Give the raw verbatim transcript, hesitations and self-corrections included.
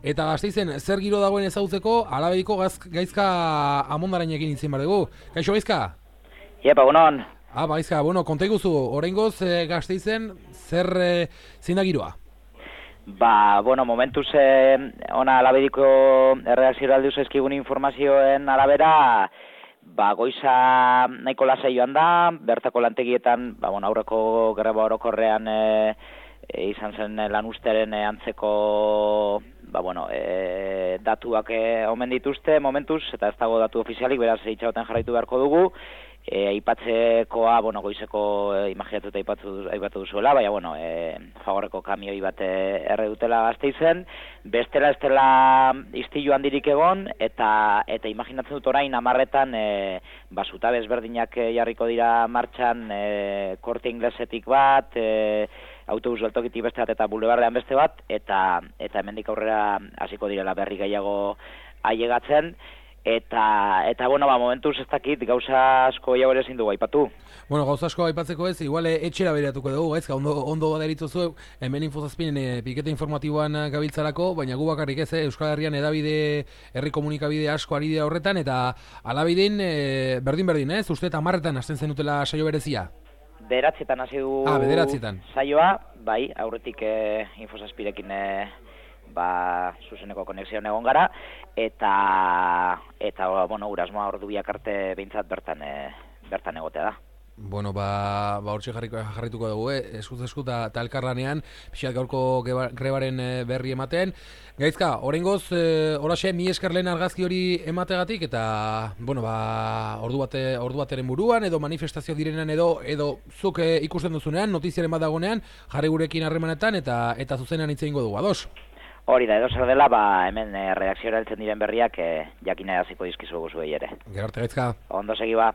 Eta Gasteizen, zer giro dagoen ezagutzeko, Alabediko gaizka amondaranekin itzin bar dugu. Kaixo gaizka? Iepa, bonon. Ah, gaizka, bueno, konta iguzu, oraingoz e, Gasteizen, zer e, zein da giroa? Ba, bueno, momentuz eh, ona Alabediko erredakzioa aldiuz ezkigun informazioen arabera, ba, goiza nahiko lasai joan da, bertako lantegietan, ba, bueno, aurreko greba orokorrean e, e, izan zen lan usteren e, antzeko ba, bueno, e, datuak e, omen dituzte momentuz, eta ez dago datu ofizialik, beraz itxagoten jarraitu beharko dugu. E, aipatzekoa, bueno, goizeko e, imaginatuta aipatu, aipatu duzuela, baina, bueno, e, fagorreko kamioi bat erre dutela Gasteizen, bestela ez dela istilu handirik egon, eta eta imaginatzen dut orain amarretan e, ba, zutabe ezberdinak jarriko dira martxan, e, Korte Inglesetik bat, e, autobus geltokitik beste bat eta bulebarrean beste bat, eta eta hemendik aurrera hasiko direla berri gehiago ailegatzen. Eta, eta bueno, ba, momentuz ez dakit gauza asko gehiago ere ezin dugu aipatu. Bueno, gauza asko aipatzeko ez, igual etxera bereatuko dugu, gaizka, ondo, ondo baderitzuzu, hemen infozazpinen e, pikete informatiboan gabiltzarako, baina gu bakarrik ez, eh, Euskal Herrian edabide, herri komunikabide asko ari dira horretan, eta Alabedin e, berdin-berdin, ez? Uste eta hamarretan hasten zenutela saio berezia? Bederatzietan hasi du ah, bederatzietan. saioa, bai, aurretik e, infozazpirekin e, ba, zuzeneko konexioan egon gara, eta, eta bueno, urasmoa ordu biak arte behintzat bertan, e, bertan egotea da. Bueno, ba, ba hortxe jarrituko dugu, eh? Eskuz esku eta elkarlanean, pixat gaurko grebaren berri ematen. Gaizka, oraingoz, e, oraxe, mi esker lehen argazki hori emategatik, eta, bueno, ba, ordu, bate, ordu bateren buruan, edo manifestazio direnean, edo, edo zuk e, ikusten duzunean, notiziaren bat dagonean, jarri gurekin harremanetan, eta eta zuzenean hitz egingo dugu, ados? Hori da, edo zer dela, ba, hemen e, redakziora heltzen diren berriak e, jakina hasiko dizkizugu zuei ere. Gero arte gaizka. Ondo segi ba.